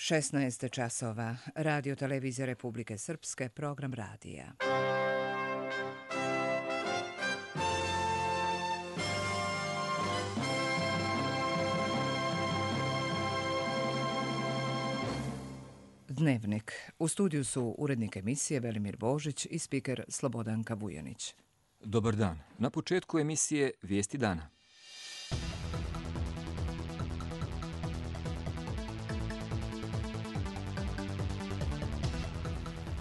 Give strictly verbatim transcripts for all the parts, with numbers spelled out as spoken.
šesnaest časova. Radio televizija Republike Srpske, program radija. Dnevnik. U studiju su urednik emisije Velimir Božić i spiker Slobodanka Vujanić. Dobar dan. Na početku emisije Vijesti dana.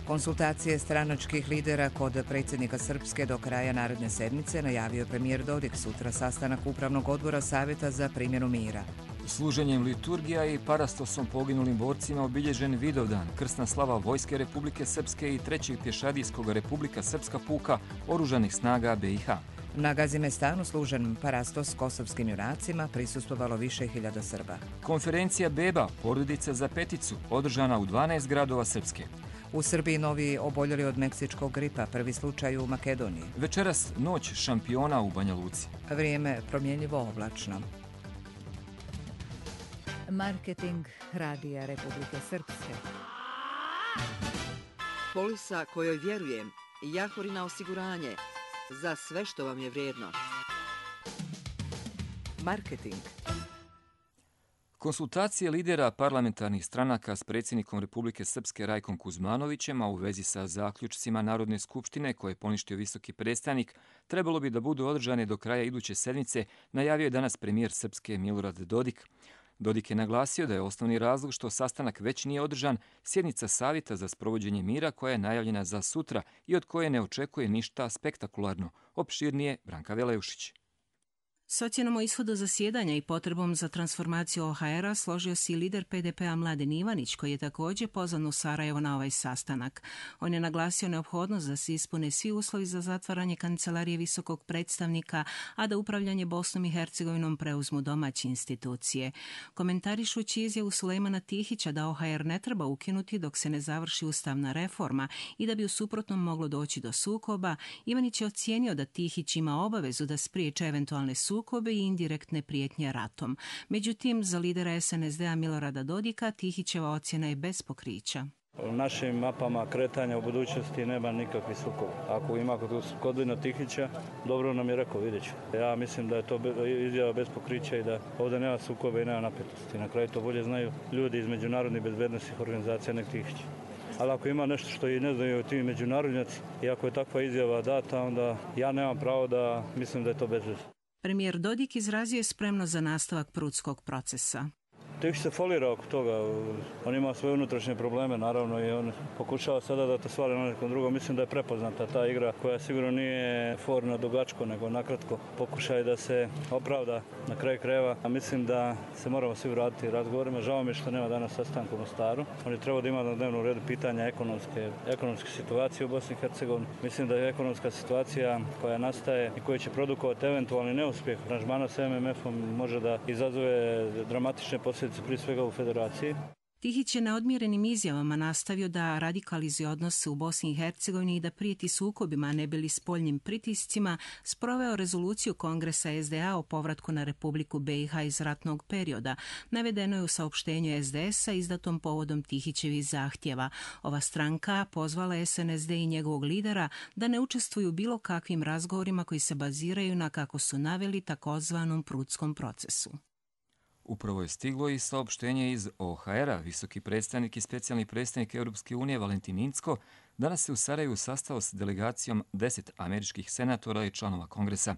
Konsultacije stranačkih lidera kod predsjednika Srpske do kraja naredne sedmice najavio premijer Dodik. Sutra sastanak Upravnog odbora Savjeta za primjenu mira. Služenjem liturgija i parastosom poginulim borcima obilježen Vidovdan, krsna slava Vojske Republike Srpske i trećeg pješadijskog Republika Srpska puka Oružanih snaga B i H. Na Gazimestanu služen parastos kosovskim junacima prisustvovalo više hiljada Srba. Konferencija Beba, porodica za peticu, održana u dvanaest gradova Srpske. U Srbiji novi oboljeli od meksičkog gripa, prvi slučaj u Makedoniji. Večeras noć šampiona u Banja Luci. Vrijeme promjenjivo oblačno. Marketing Radija Republike Srpske. Polisa kojoj vjerujem, Jahorina osiguranje, za sve što vam je vrijedno. Marketing. Konsultacije lidera parlamentarnih stranaka s predsjednikom Republike Srpske Rajkom Kuzmanovićem, a u vezi sa zaključcima Narodne skupštine koje je poništio visoki predstavnik, trebalo bi da budu održane do kraja iduće sedmice, najavio je danas premijer Srpske Milorad Dodik. Dodik je naglasio da je osnovni razlog što sastanak već nije održan sjednica Savjeta za sprovođenje mira koja je najavljena za sutra i od koje ne očekuje ništa spektakularno. Opširnije Branka Veleušić. S ocjenom o ishodu zasjedanja i potrebom za transformaciju O H R-a složio se i lider P D P-a Mladen Ivanić, koji je također pozvan u Sarajevo na ovaj sastanak. On je naglasio neophodnost da se ispune svi uslovi za zatvaranje kancelarije visokog predstavnika, a da upravljanje Bosnom i Hercegovinom preuzmu domaće institucije. Komentarišući izjavu Sulejmana Tihića da O H R ne treba ukinuti dok se ne završi ustavna reforma i da bi u suprotnom moglo doći do sukoba, Ivanić je ocijenio da Tihić ima obavezu da spriječe eventualne sukobe sukobe i indirektne prijetnje ratom. Međutim, za lidera S N S D-a Milorada Dodika Tihićeva ocjena je bez pokrića. U našim mapama kretanja u budućnosti nema nikakvih sukoba. Ako ima kod Kodina Tihića, dobro nam je rekao, vidjet ću. Ja mislim da je to izjava bez pokrića i da ovdje nema sukoba i nema napetosti. Na kraju to bolje znaju ljudi iz međunarodnih bezbednosnih organizacija nek Tihić. Ali ako ima nešto što i ne znaju ti međunarodnjaci i ako je takva izjava data, onda ja nemam pravo da mislim da je to bez veze. Premijer Dodik izrazio je spremnost za nastavak prudskog procesa. Tihić se folira oko toga, on ima svoje unutrašnje probleme naravno i on pokušava sada da to svali na nekom drugom. Mislim da je prepoznata ta igra koja sigurno nije for na dugačko nego nakratko pokušaj da se opravda na kraju krajeva. A mislim da se moramo svi vratiti razgovorima. Žao mi je što nema danas sastanka u Mostaru. On je trebao da ima na dnevnom redu pitanja ekonomske, ekonomske situacije u Bosni i Hercegovini. Mislim da je ekonomska situacija koja nastaje i koja će produkovati eventualni neuspjeh aranžmana s M M F-om može da izazove dramatične posljedice prije svega u federaciji. Tihić je na odmjerenim izjavama nastavio da radikalizuje odnose u Bosni i Hercegovini i da prijeti sukobima, ne bili spoljnim pritiscima, sproveo rezoluciju Kongresa S D A o povratku na Republiku B i H iz ratnog perioda. Navedeno je u saopštenju S D S-a izdatom povodom Tihićevih zahtjeva. Ova stranka pozvala S N S D i njegovog lidera da ne učestvuju bilo kakvim razgovorima koji se baziraju na, kako su naveli, takozvanom prudskom procesu. Upravo je stiglo i saopštenje iz O H R-a. Visoki predstavnik i specijalni predstavnik Europske unije Valentin Incko danas se u Sarajevu sastao s delegacijom deset američkih senatora i članova Kongresa.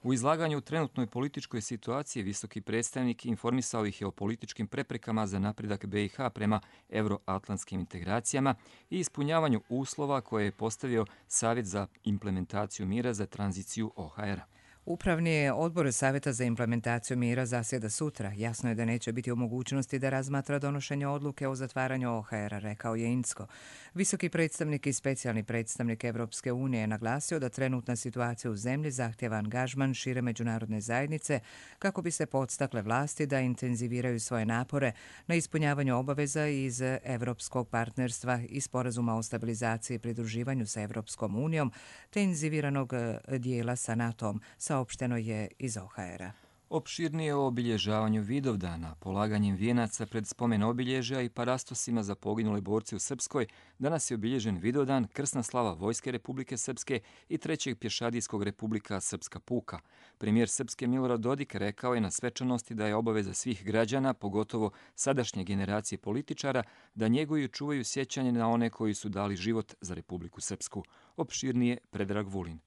U izlaganju u trenutnoj političkoj situaciji visoki predstavnik informisao ih je o političkim preprekama za napredak B i H prema euroatlantskim integracijama i ispunjavanju uslova koje je postavio Savjet za implementaciju mira za tranziciju O H R-a. Upravni odbor Savjeta za implementaciju mira zasjeda sutra. Jasno je da neće biti u mogućnosti da razmatra donošenje odluke o zatvaranju O H R-a, rekao je Incko. Visoki predstavnik i specijalni predstavnik Evropske unije je naglasio da trenutna situacija u zemlji zahtjeva angažman šire međunarodne zajednice kako bi se podstakle vlasti da intenziviraju svoje napore na ispunjavanju obaveza iz Evropskog partnerstva i sporazuma o stabilizaciji i pridruživanju sa Evropskom unijom te intenziviranog dijela sa NATO-om, saopšteno je iz O H R-a. Opširnije o obilježavanju Vidovdana, polaganjem vijenaca pred spomen obilježja i parastosima za poginule borce u Srpskoj, danas je obilježen Vidovdan, krsna slava Vojske Republike Srpske i Trećeg pješadijskog Republika Srpska puka. Premijer Srpske Milorad Dodik rekao je na svečanosti da je obaveza svih građana, pogotovo sadašnje generacije političara, da njeguju i čuvaju sjećanje na one koji su dali život za Republiku Srpsku. Opširnije Predrag Vulin.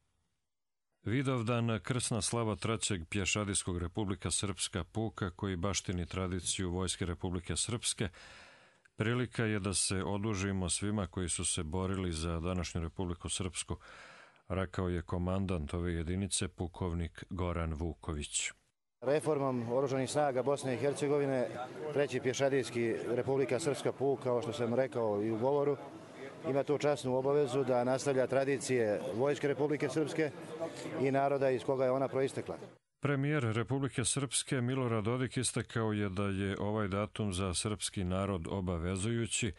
Vidovdan, krsna slava Trećeg pješadijskog Republika Srpska puka, koji baštini tradiciju Vojske Republike Srpske, prilika je da se odužimo svima koji su se borili za današnju Republiku Srpsku, rekao je komandant ove jedinice, pukovnik Goran Vuković. Reformom oružanih snaga Bosne i Hercegovine, Treći pješadijski Republika Srpska puk, kao što sam rekao i u govoru, ima tu časnu obavezu da nastavlja tradicije Vojske Republike Srpske i naroda iz koga je ona proistekla. Premijer Republike Srpske Milorad Dodik istakao je da je ovaj datum za srpski narod obavezujući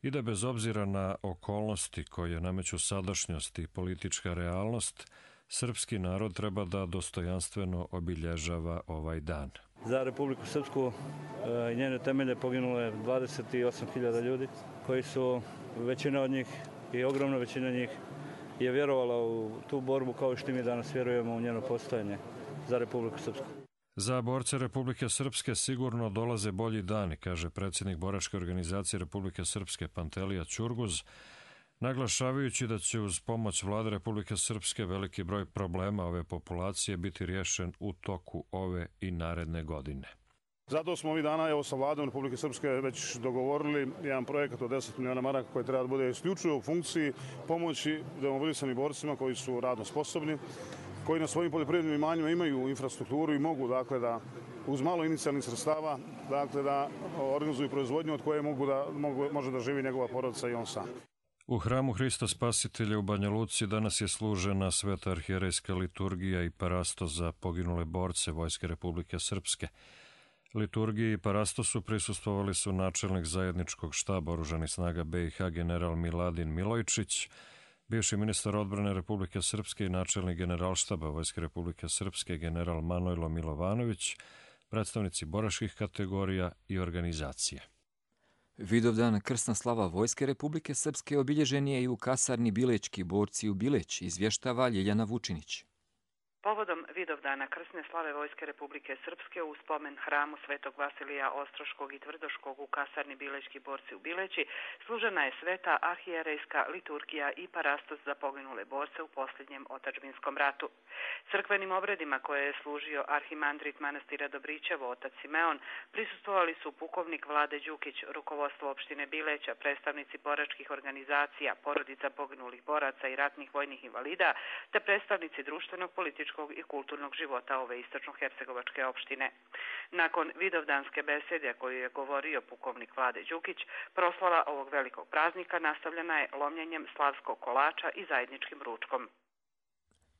i da bez obzira na okolnosti koje nameću sadašnjost i politička realnost, srpski narod treba da dostojanstveno obilježava ovaj dan. Za Republiku Srpsku i njene temelje poginulo je dvadeset osam hiljada ljudi, koji su, većina od njih i ogromna većina njih je vjerovala u tu borbu kao i što mi danas vjerujemo u njeno postojanje za Republiku Srpsku. Za borce Republike Srpske sigurno dolaze bolji dani, kaže predsjednik boračke organizacije Republike Srpske Pantelija Ćurguz, naglašavajući da će uz pomoć Vlade Republike Srpske veliki broj problema ove populacije biti riješen u toku ove i naredne godine. Zato smo ovih dana evo, sa Vladom Republike Srpske već dogovorili jedan projekat od deset miliona maraka koji treba da bude isključivo u funkciji pomoći demobilisanim borcima koji su radno sposobni, koji na svojim poljoprivrednim imanjima imaju infrastrukturu i mogu dakle, da uz malo inicijalnih sredstava dakle, da organizuju proizvodnju od koje mogu da, mogu, može da živi njegova porodica i on sam. U hramu Hrista Spasitelja u Banja Luci danas je služena sveta arhijerejska liturgija i parastos za poginule borce Vojske Republike Srpske. Liturgiji i parastosu prisustvovali su načelnik zajedničkog štaba oružanih snaga be i ha general Miladin Milojčić, bivši ministar odbrane Republike Srpske i načelnik generalštaba Vojske Republike Srpske general Manojlo Milovanović, predstavnici boračkih kategorija i organizacije. Vidovdan, krsna slava Vojske Republike Srpske, obilježen je i u kasarni Bilečki borci u Bileć, izvještava Ljiljana Vučinić. Povodom Vidovdana krsne slave Vojske Republike Srpske u spomen hramu Svetog Vasilija Ostroškog i Tvrdoškog u kasarni Bilečki borci u Bileći služena je sveta arhijerejska liturgija i parastos za poginule borce u posljednjem otadžbinskom ratu. Crkvenim obredima koje je služio arhimandrit manastira Dobrićevo, otac Simeon, prisustvovali su pukovnik Vlade Đukić, rukovodstvo opštine Bileća, predstavnici boračkih organizacija, porodica poginulih boraca i ratnih vojnih invalida, te predstavnici društvenog, političkog i kulturnog života ove istočno-hercegovačke opštine. Nakon vidovdanske besede koju je govorio pukovnik Vlade Đukić, proslava ovog velikog praznika nastavljena je lomljenjem slavskog kolača i zajedničkim ručkom.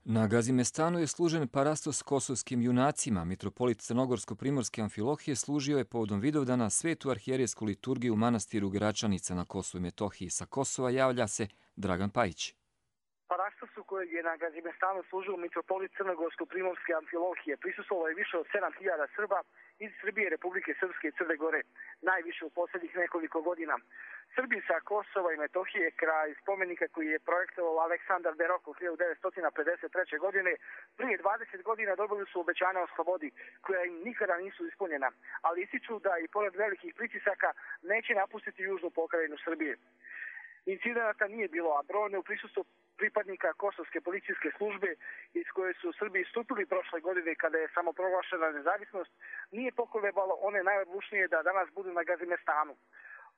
Na Gazimestanu je služen parastos kosovskim junacima. Mitropolit Crnogorsko-primorske Amfilohije služio je povodom Vidovdana svetu arhijerejsku liturgiju u manastiru Gračanica na Kosovu i Metohiji. Sa Kosova javlja se Dragan Pajić. Parastosu kojeg je na Gazimestanu služio mitropolit Crnogorsko-primorske Amfilohije prisustvovalo je više od sedam hiljada Srba iz Srbije, Republike Srpske i Crne Gore, najviše u posljednjih nekoliko godina. Srbi sa Kosova i Metohije kraj spomenika koji je projektovao Aleksandar Berok u hiljadu devetsto pedeset treće. godine prije dvadeset godina dobili su obećanja o slobodi koja im nikada nisu ispunjena, ali ističu da i pored velikih pritisaka neće napustiti južnu pokrajinu Srbije. Incidenata nije bilo, a brojne u prisustvu pripadnika kosovske policijske službe iz koje su Srbi istupili prošle godine kada je samoproglašena nezavisnost nije pokolebalo one najodlučnije da danas budu na Gazimestanu.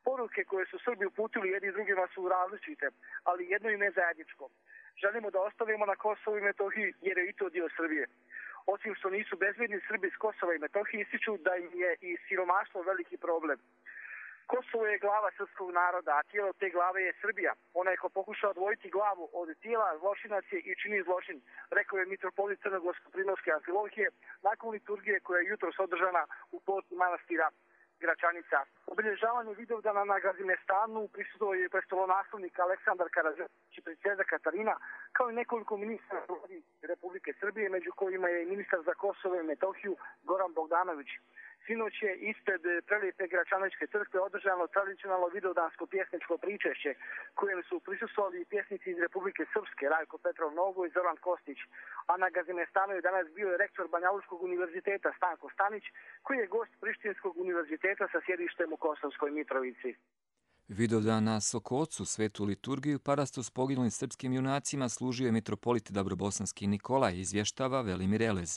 Poruke koje su Srbi uputili jedni drugima su različite, ali jedno im je zajedničko. Želimo da ostavimo na Kosovu i Metohiji jer je i to dio Srbije. Osim što nisu bezbjedni, Srbi iz Kosova i Metohije ističu da im je i siromaštvo veliki problem. Kosovo je glava srpskog naroda, a tijelo te glave je Srbija. Onaj ko pokuša odvojiti glavu od tijela, zločinac je i čini zločin, rekao je mitropolit Crnogorsko-primorske Amfilohije nakon liturgije koja je jutros održana u porti manastira Gračanica. Obilježavanju Vidovdana na Gazimestanu prisustvovao je prestolonaslednik Aleksandar Karađorđević i princeza Katarina, kao i nekoliko ministara Republike Srbije, među kojima je i ministar za Kosovo i Metohiju Goran Bogdanović. Sinoć je ispred prelijepe Gračanovićke crkve održano tradicionalno vidovdansko pjesničko pričešće, kojem su prisustvovali pjesnici iz Republike Srpske, Rajko Petrov Nogo i Zoran Kostić. A na Gazimestanu je danas bio rektor Banjalučkog univerziteta Stanko Stanić, koji je gost Prištinskog univerziteta sa sjedištem u Kosovskoj Mitrovici. Vidovdan na Sokocu, svetu liturgiju, parastu s poginulim srpskim junacima služio je mitropolit Dabrobosanski Nikolaj, izvještava Velimir Elez.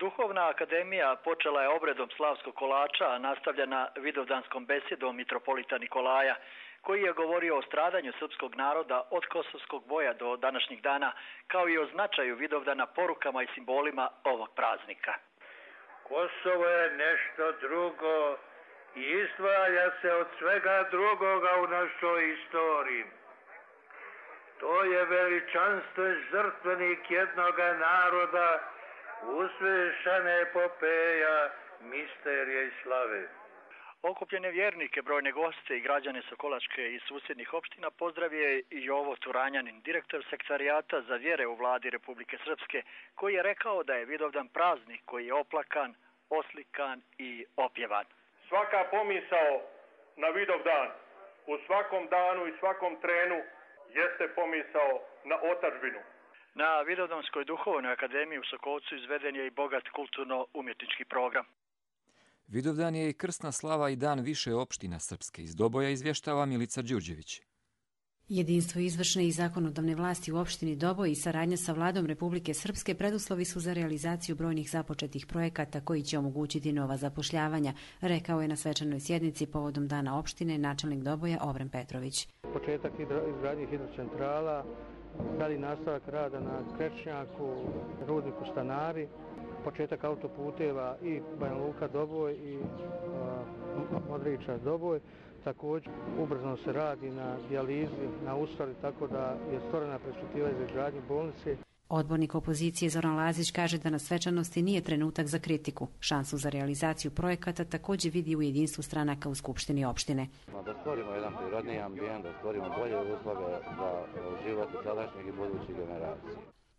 Duhovna akademija počela je obredom slavskog kolača, a nastavljena vidovdanskom besedom mitropolita Nikolaja, koji je govorio o stradanju srpskog naroda od kosovskog boja do današnjih dana, kao i o značaju Vidovdana porukama i simbolima ovog praznika. Kosovo je nešto drugo i izdvaja se od svega drugoga u našoj istoriji. To je veličanstven žrtvenik jednoga naroda, uzvišena epopeja, misterija i slave. Okupljene vjernike, brojne goste i građane Sokolačke i susjednih opština pozdravio je i Jovo Turanjanin, direktor sektarijata za vjere u vladi Republike Srpske, koji je rekao da je Vidovdan praznik koji je oplakan, oslikan i opjevan. Svaka pomisao na Vidovdan u svakom danu i svakom trenu jeste pomisao na otadžbinu. Na Vidovdanskoj duhovnoj akademiji u Sokolcu izveden je i bogat kulturno-umjetnički program. Vidovdan je i krsna slava i dan više opština Srpske. Iz Doboja izvještava Milica Đurđević. Jedinstvo izvršne i zakonodavne vlasti u opštini Doboj i saradnja sa vladom Republike Srpske preduslovi su za realizaciju brojnih započetih projekata koji će omogućiti nova zapošljavanja, rekao je na svečanoj sjednici povodom dana opštine načelnik Doboja Ovren Petrović. Početak izgradnje hidrocentrala, dalji nastavak rada na Krečnjaku, rudniku Stanari, početak autoputeva i Banja Luka Doboj i uh, Modriča Doboj. Također ubrzano se radi na dijalizi, na ustali, tako da je stvorena perspektiva za izgradnju bolnice. Odbornik opozicije Zoran Lazić kaže da na svečanosti nije trenutak za kritiku. Šansu za realizaciju projekata također vidi u jedinstvu stranaka u Skupštini opštine. Da stvorimo jedan prirodni ambijent, da stvorimo bolje uslove za život sadašnjih i budućih generacija.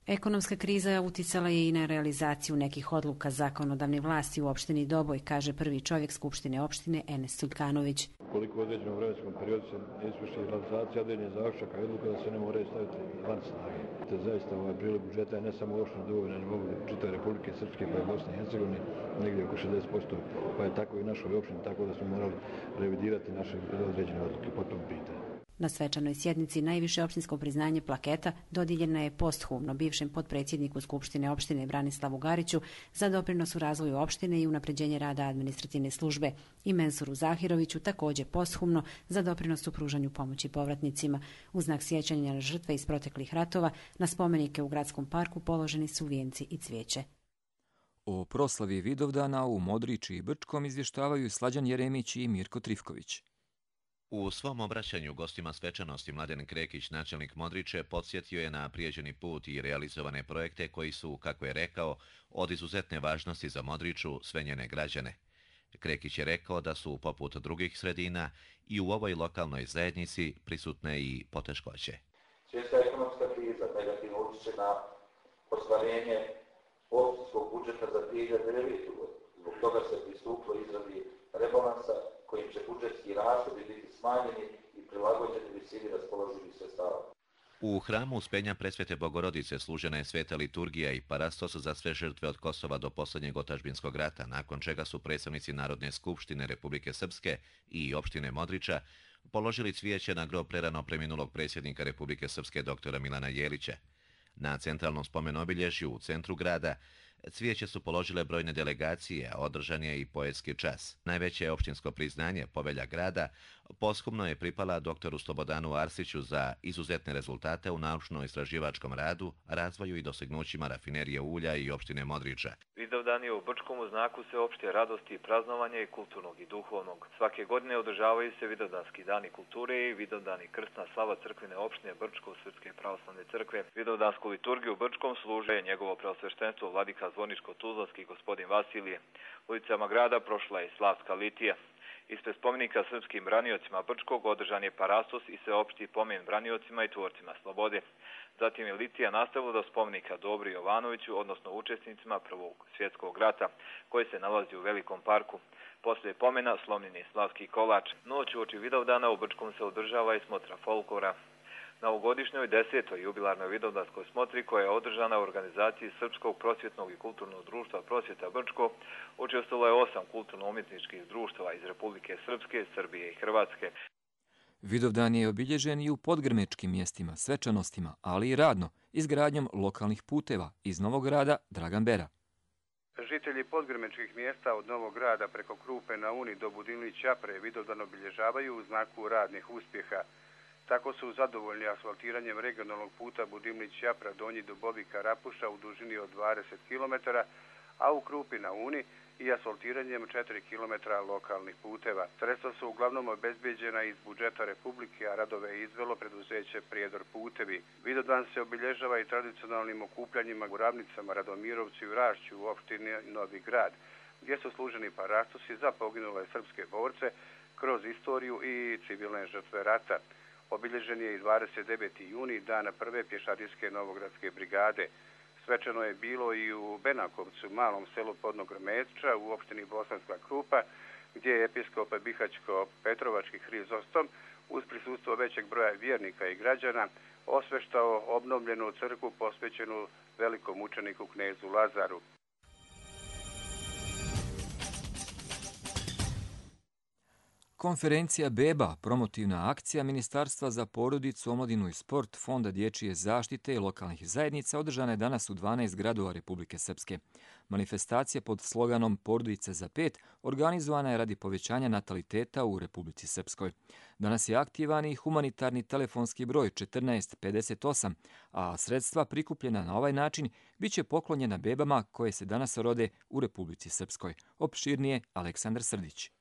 Ekonomska kriza uticala je i na realizaciju nekih odluka zakonodavne vlasti u opštini Doboj, kaže prvi čovjek Skupštine opštine Enes Sulkanović. Koliko u određenom vremenskom periodu se izvrši realizacija određenih zaključaka i odluka da se ne moraju staviti van snage. To je zaista ovaj prilog budžeta je ne samo u opštini Doboj, nego u čitavoj Republike Srpske pa i Bosne i Hercegovine, negdje oko šezdeset posto, pa je tako i u našoj opštini, tako da smo morali revidirati naše određene odluke po tom pitanju. Na svečanoj sjednici najviše opštinsko priznanje plaketa dodijeljena je posthumno bivšem potpredsjedniku Skupštine opštine Branislavu Gariću za doprinos u razvoju opštine i unapređenje rada administrativne službe i Mensuru Zahiroviću također posthumno za doprinos u pružanju pomoći povratnicima. U znak sjećanja na žrtve iz proteklih ratova na spomenike u gradskom parku položeni su vijenci i cvijeće. O proslavi Vidovdana u Modriči i Brčkom izvještavaju Slađan Jeremić i Mirko Trifković. U svom obraćanju gostima svečanosti Mladen Krekić, načelnik Modriče, podsjetio je na prijeđeni put i realizovane projekte koji su, kako je rekao, od izuzetne važnosti za Modriču, sve njene građane. Krekić je rekao da su, poput drugih sredina, i u ovoj lokalnoj zajednici prisutne i poteškoće. Svjetska ekonomska kriza negativno utječe na ostvarenje opštinskog budžeta za dvije hiljade devetu. Zbog toga se pristupilo izradi rebalansa kojim će budžetski rashodi biti smanjeni i prilagođeni visini raspoloživih sredstava. U hramu Uspenja Presvete Bogorodice služena je sveta liturgija i parastos za sve žrtve od Kosova do posljednjeg otadžbinskog rata, nakon čega su predstavnici Narodne skupštine Republike Srpske i opštine Modriča položili cvijeće na grob prerano preminulog predsjednika Republike Srpske doktora Milana Jelića. Na centralnom spomenobilježju u centru grada cvijeće su položile brojne delegacije, a održan je i poetski čas. Najveće opštinsko priznanje, povelja grada, Posthumno je pripala doktoru Slobodanu Arsiću za izuzetne rezultate u naučno-istraživačkom radu, razvoju i dostignućima rafinerije ulja i opštine Modriča. Vidovdan je u Brčkom u znaku sveopšte radosti i praznovanja i kulturnog i duhovnog. Svake godine održavaju se Vidovdanski dani kulture i Vidovdan i krstna slava crkvene opštine Brčko Srpske pravoslavne crkve. Vidovdansku liturgiju u Brčkom služe njegovo preosveštenstvo vladika Zvorničko-Tuzlanski gospodin Vasilije. Ulicama grada prošla je slavska litija. Ispred spomenika srpskim braniocima Brčkog održan je parastos i sveopšti pomen braniocima i tvorcima slobode. Zatim je litija nastavila do spomenika Dobri Jovanoviću, odnosno učesnicima Prvog svjetskog rata, koji se nalazi u Velikom parku. Poslije pomena slomljen je slavski kolač. Noć uoči Vidovdana u Brčkom se održava i smotra folklora. Na ovogodišnjoj desetoj jubilarnoj Vidovdanskoj smotri, koja je održana u organizaciji Srpskog prosvjetnog i kulturnog društva Prosvjeta Brčko, učestvovalo je osam kulturno-umjetničkih društava iz Republike Srpske, Srbije i Hrvatske. Vidovdan je obilježen i u podgrmečkim mjestima, svečanostima, ali i radno, izgradnjom lokalnih puteva. Iz Novog Grada, Dragan Bera. Žitelji podgrmečkih mjesta od Novog Grada preko Krupe na Uni do Budimlić-Ćapre Vidovdan obilježavaju u znaku radnih uspjeha. Tako su zadovoljni asfaltiranjem regionalnog puta Budimlić-Ćapra Donji Dubovika-Rapuša u dužini od dvadeset kilometara, a u Krupi na Uni i asfaltiranjem četiri kilometra lokalnih puteva. Sredstva su uglavnom obezbeđena iz budžeta Republike, a radove je izvelo preduzeće Prijedor putevi. Vidovdan se obilježava i tradicionalnim okupljanjima u Ravnicama, Radomirovcu i Rašću u opštini Novi Grad, gdje su služeni parastosi za poginule srpske borce kroz istoriju i civilne žrtve rata. Obilježen je i dvadeset deveti juni, dana prve pješadijske novogradske brigade. Svečano je bilo i u Benakovcu, malom selu Podnog Grmeča u opštini Bosanska Krupa, gdje je episkop Bihaćko-Petrovački Hrizostom uz prisustvo većeg broja vjernika i građana osveštao obnovljenu crkvu posvećenu velikom učeniku knezu Lazaru. Konferencija Beba, promotivna akcija Ministarstva za porodicu, omladinu i sport, Fonda dječje zaštite i lokalnih zajednica održana je danas u dvanaest gradova Republike Srpske. Manifestacija pod sloganom Porodice za pet organizovana je radi povećanja nataliteta u Republici Srpskoj. Danas je aktivan i humanitarni telefonski broj četrnaest pedeset osam, a sredstva prikupljena na ovaj način bit će poklonjena bebama koje se danas rode u Republici Srpskoj. Opširnije Aleksandar Srdić.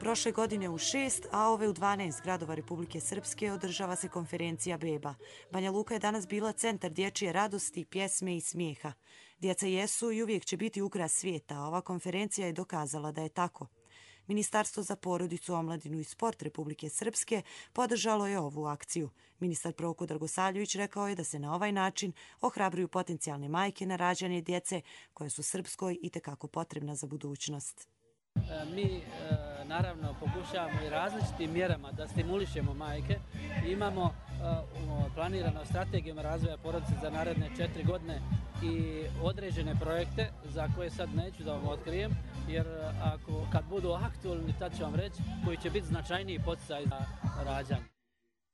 Prošle godine u šest, a ove u dvanaest gradova Republike Srpske održava se konferencija Beba. Banja Luka je danas bila centar dječje radosti, pjesme i smijeha. Djeca jesu i uvijek će biti ukras svijeta, a ova konferencija je dokazala da je tako. Ministarstvo za porodicu, omladinu i sport Republike Srpske podržalo je ovu akciju. Ministar Proko Dragosavljević rekao je da se na ovaj način ohrabruju potencijalne majke na rađanje djece koje su Srpskoj itekako potrebna za budućnost. Mi naravno pokušavamo i različitim mjerama da stimulišemo majke. Imamo planirano strategijom razvoja porodice za naredne četiri godine i određene projekte za koje sad neću da vam otkrijem, jer ako, kad budu aktualni, tad ću vam reći, koji će biti značajniji poticaj za rađanje.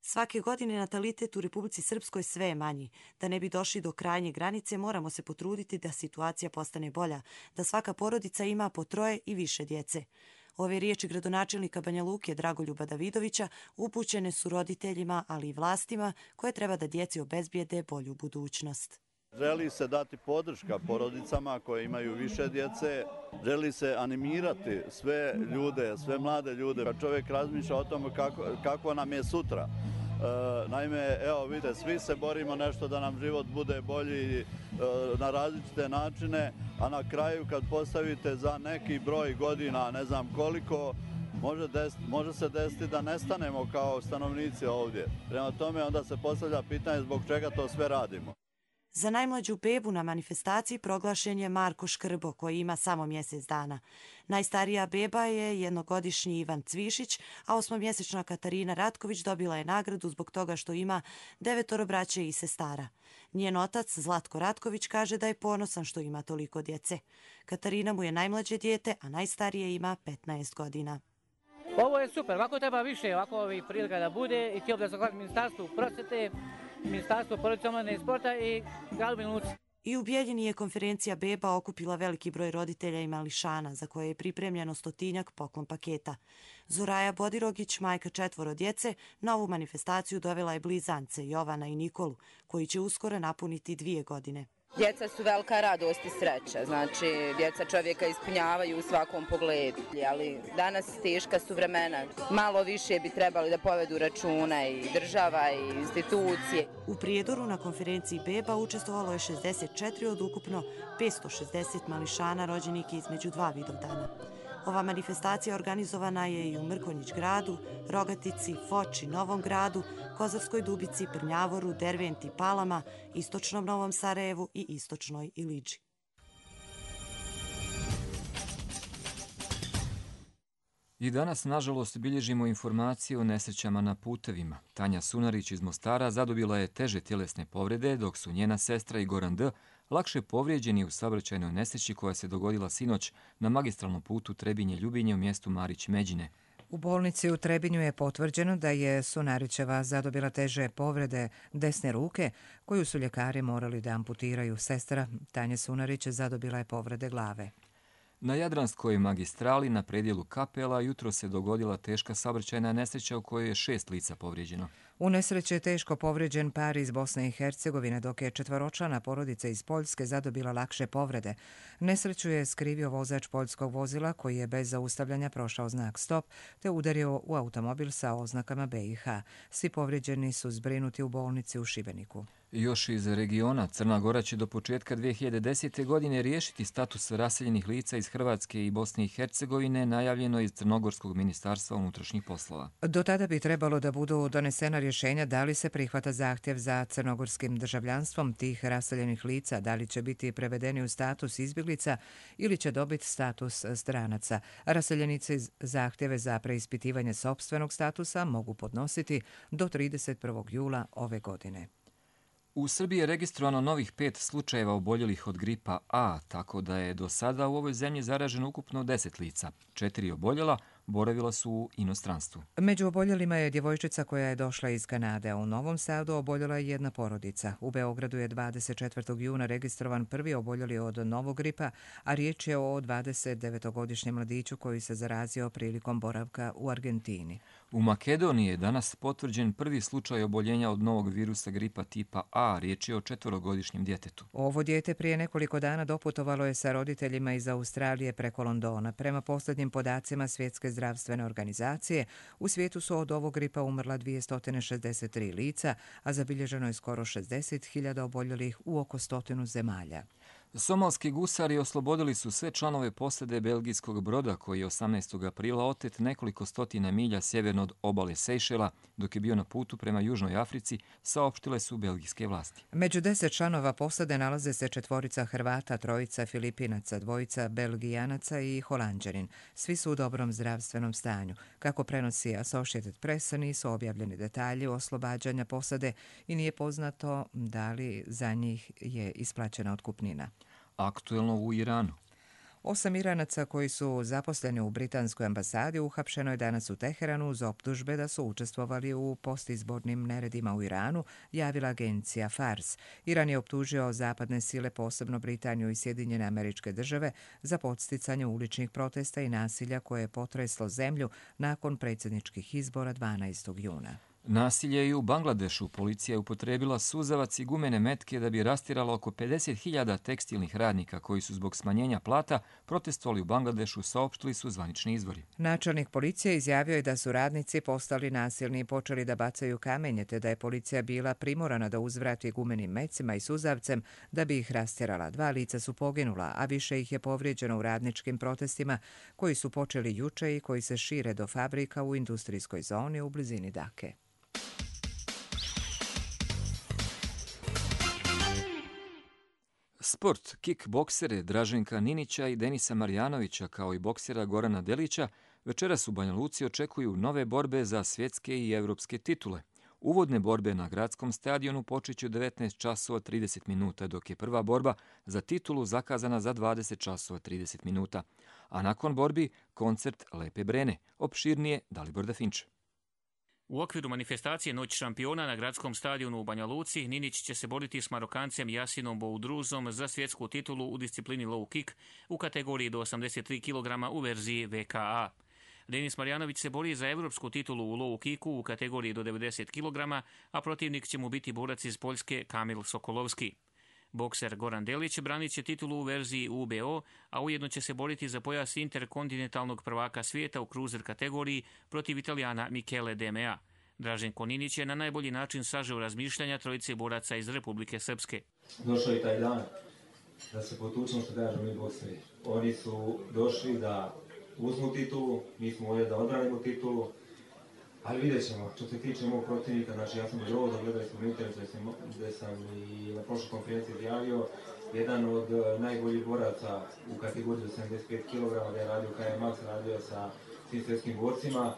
Svake godine natalitet u Republici Srpskoj sve je manji. Da ne bi došli do krajnje granice, moramo se potruditi da situacija postane bolja, da svaka porodica ima po troje i više djece. Ove riječi gradonačelnika Banja Luke Dragoljuba Davidovića upućene su roditeljima, ali i vlastima koje treba da djeci obezbijede bolju budućnost. Želi se dati podrška porodicama koje imaju više djece, želi se animirati sve ljude, sve mlade ljude, kad čovjek razmišlja o tome kako, kako nam je sutra. E, naime, evo vidite, svi se borimo nešto da nam život bude bolji e, na različite načine, a na kraju kad postavite za neki broj godina, ne znam koliko, može, desiti, može se desiti da nestanemo kao stanovnici ovdje. Prema tome onda se postavlja pitanje zbog čega to sve radimo. Za najmlađu bebu na manifestaciji proglašen je Marko Škrbo, koji ima samo mjesec dana. Najstarija beba je jednogodišnji Ivan Cvišić, a osmomjesečna Katarina Ratković dobila je nagradu zbog toga što ima devetoro braće i sestara. Njen otac, Zlatko Ratković, kaže da je ponosan što ima toliko djece. Katarina mu je najmlađe dijete, a najstarije ima petnaest godina. Ovo je super, ovako treba više, ovako ovih prilika da bude i htio da zahvalim Ministarstvu prosvjete Ministarstvo porodice, omladine i sporta i gradu Banja Luci. I u Bijeljini je konferencija beba okupila veliki broj roditelja i mališana, za koje je pripremljeno stotinjak poklon paketa. Zoraja Bodirogić, majka četvoro djece, na ovu manifestaciju dovela je blizance Jovana i Nikolu, koji će uskoro napuniti dvije godine. Djeca su velika radost i sreća, znači djeca čovjeka ispunjavaju u svakom pogledu, ali danas teška su vremena. Malo više bi trebali da povedu računa i država i institucije. U Prijedoru na konferenciji beba učestvovalo je šezdeset četiri od ukupno petsto šezdeset mališana rođenih između dva Vidovdana. Ova manifestacija organizovana je i u Mrkonjić gradu, Rogatici, Foči, Novom gradu, Kozarskoj Dubici, Prnjavoru, Derventi, Palama, Istočnom Novom Sarajevu i Istočnoj Iliđi. I danas, nažalost, bilježimo informacije o nesrećama na putevima. Tanja Sunarić iz Mostara zadobila je teže tjelesne povrede, dok su njena sestra i Goran D. lakše povrijeđeni u saobraćajnoj nesreći koja se dogodila sinoć na magistralnom putu Trebinje-Ljubinje u mjestu Marić-Međine. U bolnici u Trebinju je potvrđeno da je Sunarićeva zadobila teže povrede desne ruke, koju su ljekari morali da amputiraju. Sestra Tanje Sunarić zadobila je povrede glave. Na Jadranskoj magistrali na predjelu Kapela jutro se dogodila teška saobraćajna nesreća u kojoj je šest lica povrijeđeno. U nesreći je teško povrijeđen par iz Bosne i Hercegovine, dok je četvoročlana porodica iz Poljske zadobila lakše povrede. Nesreću je skrivio vozač poljskog vozila koji je bez zaustavljanja prošao znak stop te udario u automobil sa oznakama B i H. Svi povrijeđeni su zbrinuti u bolnici u Šibeniku. Još iz regiona, Crna Gora će do početka dvije hiljade desete. godine riješiti status raseljenih lica iz Hrvatske i Bosne i Hercegovine, najavljeno iz Crnogorskog ministarstva unutrašnjih poslova. Do tada bi trebalo da budu donesena rješenja da li se prihvata zahtjev za crnogorskim državljanstvom tih raseljenih lica, da li će biti prevedeni u status izbjeglica ili će dobiti status stranaca. Raseljenici zahtjeve za preispitivanje sopstvenog statusa mogu podnositi do trideset prvog jula ove godine. U Srbiji je registrovano novih pet slučajeva oboljelih od gripa A, tako da je do sada u ovoj zemlji zaraženo ukupno deset lica. Četiri oboljela boravila su u inostranstvu. Među oboljelima je djevojčica koja je došla iz Kanade, a u Novom Sadu oboljela je jedna porodica. U Beogradu je dvadeset četvrtog juna registrovan prvi oboljeli od novog gripa, a riječ je o dvadeset devetogodišnjem mladiću koji se zarazio prilikom boravka u Argentini. U Makedoniji je danas potvrđen prvi slučaj oboljenja od novog virusa gripa tipa A, riječ je o četvorogodišnjem djetetu. Ovo dijete prije nekoliko dana doputovalo je sa roditeljima iz Australije preko Londona. Prema posljednjim podacima Svjetske zdravstvene organizacije, u svijetu su od ovog gripa umrla dvjesto šezdeset tri lica, a zabilježeno je skoro šezdeset hiljada oboljelih u oko stotinu zemalja. Somalski gusari oslobodili su sve članove posade belgijskog broda koji je osamnaestog aprila otet nekoliko stotina milja sjeverno od obale Sejšela, dok je bio na putu prema Južnoj Africi, saopštile su belgijske vlasti. Među deset članova posade nalaze se četvorica Hrvata, trojica Filipinaca, dvojica Belgijanaca i Holanđanin. Svi su u dobrom zdravstvenom stanju. Kako prenosi Associated Press, nisu objavljeni detalji oslobađanja posade i nije poznato da li za njih je isplaćena otkupnina. Aktuelno u Iranu. Osam Iranaca koji su zaposleni u britanskoj ambasadi uhapšeno je danas u Teheranu uz optužbe da su učestvovali u postizbornim neredima u Iranu, javila agencija Fars. Iran je optužio zapadne sile, posebno Britaniju i Sjedinjene Američke Države, za podsticanje uličnih protesta i nasilja koje je potreslo zemlju nakon predsjedničkih izbora dvanaestog juna. Nasilje i u Bangladešu. Policija je upotrijebila suzavac i gumene metke da bi rastirala oko pedeset hiljada tekstilnih radnika koji su zbog smanjenja plata protestovali u Bangladešu, saopštili su zvanični izvori. Načelnik policije izjavio je da su radnici postali nasilni i počeli da bacaju kamenje, te da je policija bila primorana da uzvrati gumenim mecima i suzavcem da bi ih rastjerala. Dva lica su poginula, a više ih je povrijeđeno u radničkim protestima koji su počeli juče i koji se šire do fabrika u industrijskoj zoni u blizini Dake. Sport. Kickboksere Draženka Ninića i Denisa Marjanovića kao i boksera Gorana Delića večeras u Banja Luci očekuju nove borbe za svjetske i evropske titule. Uvodne borbe na gradskom stadionu počeće u devetnaest časova trideset minuta, dok je prva borba za titulu zakazana za dvadeset časova trideset minuta. A nakon borbi koncert Lepe Brene. Opširnije Dalibor Dafinče. U okviru manifestacije Noć šampiona na gradskom stadionu u Banja Luci, Ninić će se boriti s Marokancem Jasinom Boudruzom za svjetsku titulu u disciplini low kick u kategoriji do osamdeset tri kilograma u verziji V K A. Denis Marjanović se bori za evropsku titulu u low kicku u kategoriji do devedeset kilograma, a protivnik će mu biti borac iz Poljske Kamil Sokolovski. Bokser Goran Delić branit će titulu u verziji U B O, a ujedno će se boriti za pojas interkontinentalnog prvaka svijeta u cruiser kategoriji protiv Italijana Michele Demea. Dražen Koninić je na najbolji način sažeo razmišljanja trojice boraca iz Republike Srpske. Došao je taj dan da se potučemo, što kažemo mi bokseri. Oni su došli da uzmu titulu, mi smo ovdje da odbranimo titulu, ali vidjet ćemo. Što se tiče mog protivnika, znači ja sam od da gledali smo internet gdje sam i na prošloj konferenciji izjavio, jedan od najboljih boraca u kategoriji do sedamdeset pet kilograma, gdje je radio K M Max, radio sa svim svjetskim borcima.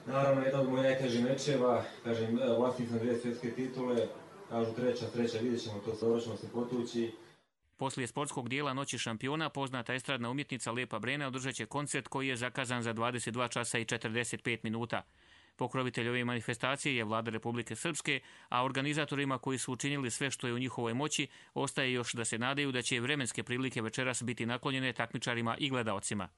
Naravno, jedan od mojih najtežih mečeva, kažem, vlasnik sam dvije svjetske titule, kažu treća, treća, vidjet ćemo to, dobro ćemo se potući. Poslije sportskog dijela Noći šampiona, poznata estradna umjetnica Lepa Brena održat će koncert koji je zakazan za dvadeset dva časa i četrdeset pet minuta. Pokrovitelj ove manifestacije je Vlada Republike Srpske, a organizatorima koji su učinili sve što je u njihovoj moći, ostaje još da se nadaju da će vremenske prilike večeras biti naklonjene takmičarima i gledaocima.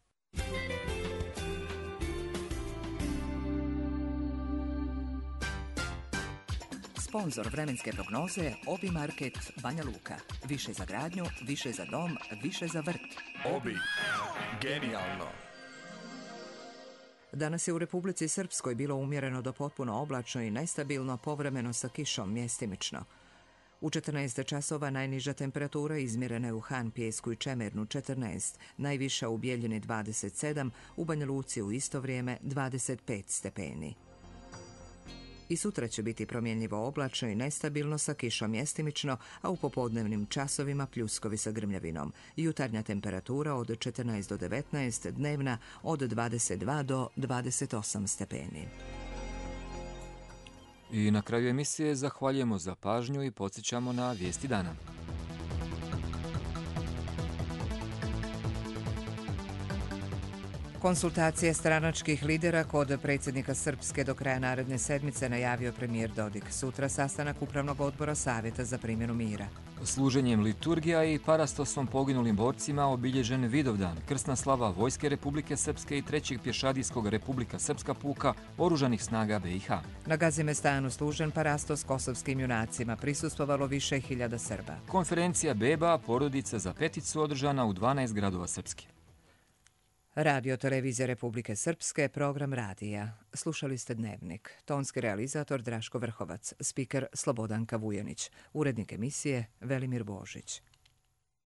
Sponzor vremenske prognoze Obi Market Banja Luka. Više za gradnju, više za dom, više za vrt. Obi. Genijalno. Danas je u Republici Srpskoj bilo umjereno do potpuno oblačno i nestabilno, povremeno sa kišom mjestimično. U četrnaest časova najniža temperatura izmjerena je u Han, Pijesku i Čemernu četrnaest, najviša u Bijeljini dvadeset sedam, u Banja Luci u isto vrijeme dvadeset pet stepeni. I sutra će biti promjenjivo oblačno i nestabilno sa kišom mjestimično, a u popodnevnim časovima pljuskovi sa grmljavinom. Jutarnja temperatura od četrnaest do devetnaest, dnevna od dvadeset dva do dvadeset osam stepeni. I na kraju emisije zahvaljujemo za pažnju i podsjećamo na vijesti dana. Konsultacije stranačkih lidera kod predsjednika Srpske do kraja naredne sedmice najavio premijer Dodik. Sutra sastanak Upravnog odbora Savjeta za primjenu mira. Služenjem liturgija i parastosom poginulim borcima obilježen Vidovdan, krsna slava Vojske Republike Srpske i trećeg pješadijskog Republika Srpska puka Oružanih snaga B i H. Na Gazimestanu služen parastos kosovskim junacima, prisustvovalo više hiljada Srba. Konferencija Beba, porodica za peticu, održana u dvanaest gradova Srpske. Radio Televizija Republike Srpske, program radija. Slušali ste Dnevnik. Tonski realizator Draško Vrhovac, spiker Slobodanka Vujanić, urednik emisije Velimir Božić.